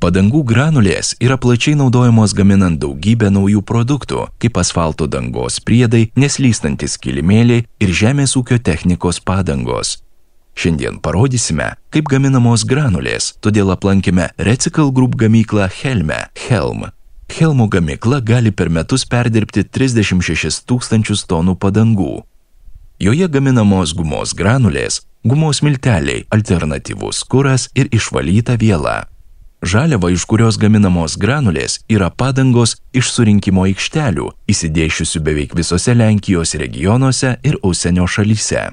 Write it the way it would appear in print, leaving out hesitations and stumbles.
Padangų granulės yra plačiai naudojamos gaminant daugybę naujų produktų, kaip asfalto dangos priedai, neslystantis kilimėliai ir žemės ūkio technikos padangos. Šiandien parodysime, kaip gaminamos granulės, todėl aplankėme Recycle Group gamyklą Helm. Helmo gamykla gali per metus perdirbti 36 000 tonų padangų. Joje gaminamos gumos granulės, gumos milteliai, alternatyvus kuras ir išvalyta viela. Žaliava, iš kurios gaminamos granulės, yra padangos iš surinkimo aikštelių, įsidėsčiusių beveik visose Lenkijos regionuose ir užsienio šalyse.